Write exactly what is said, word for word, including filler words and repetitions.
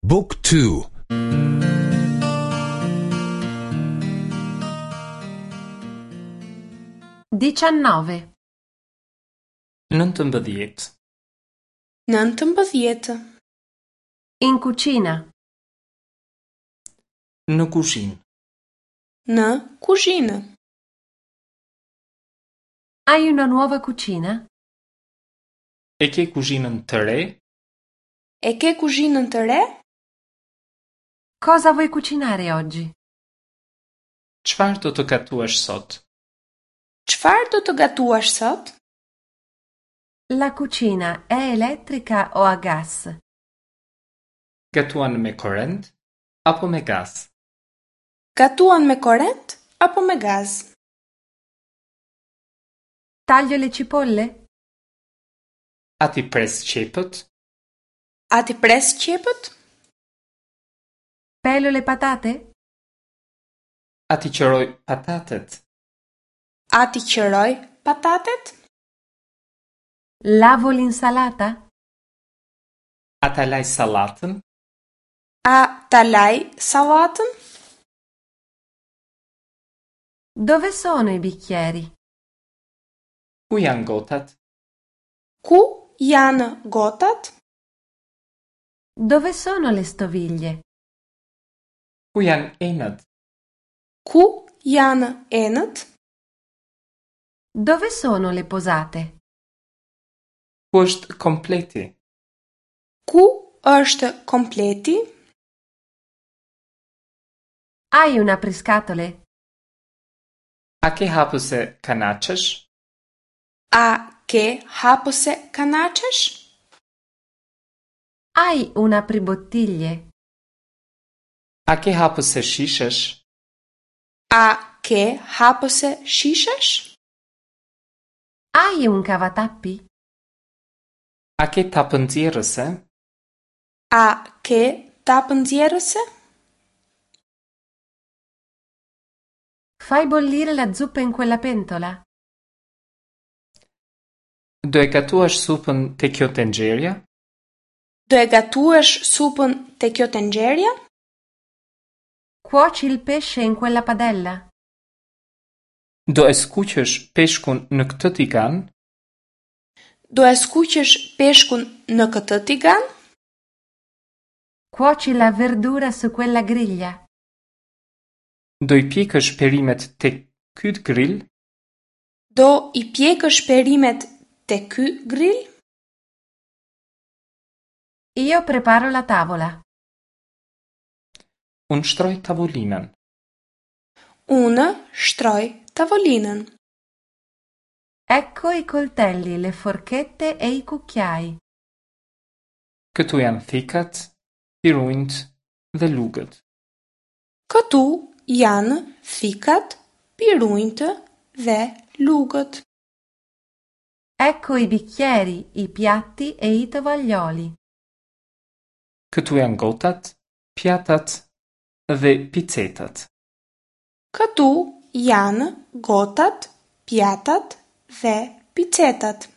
Book two. Diciannove. Nëntëmbëdhjetë. Nëntëmbëdhjetë. In cucina. Në kuzhinë. Në kuzhinë. Hai una nuova cucina? E ke kuzhinën të re? E ke kuzhinën të re? Cosa vuoi cucinare oggi? Çfarë do të gatuash sot? Çfarë do të gatuash sot? La cucina è elettrica o a gas? Gatuan me korrent apo me gaz? Gatuan me korrent apo me gaz? Taglio le cipolle? A t'i pres qepët? A t'i pres qepët? Pelo le patate? A t'i qëroj patatet? A t'i qëroj patatet? Lavo l'insalata? A ta laj sallatën? A ta laj sallatën? Dove sono i bicchieri? Ku janë gotat? Ku janë gotat? Dove sono le stoviglie? Ku janë enët? Ku janë enët? Dove sono le posate? Ku është kompleti? Ku është kompleti? Hai un apriscatole? A ke hapëse kanaçesh? A ke hapëse kanaçesh? Hai un apribottiglie? A ke hapëse shishesh? A ke hapëse shishesh? Hai un cavatappi? A ke tapë nxjerrëse? A ke tapë nxjerrëse? Fai bollire la zuppa in quella pentola? Do e gatuash supën te kjo tenxherja? Do e gatuash supën te kjo tenxherja? Cuoci il pesce in quella padella? Do e skuqësh peshkun në këtë tigan? Do e skuqësh peshkun në këtë tigan? Cuoci la verdura su quella griglia? Do i pjekësh perimet te ky grill? Do i pjekësh perimet te ky grill? Io preparo la tavola. Unë shtroj tavolinën. Unë shtroj tavolinën. Ecco i coltelli, le forchette e i cucchiai. Këtu janë thikat, pirunjt dhe lugët. Këtu janë thikat, pirunjtë dhe lugët. Ecco i bicchieri, i piatti e i tovaglioli. Këtu janë gotat, pjatat dhe picetat. Këtu janë gotat, pjatat dhe picetat.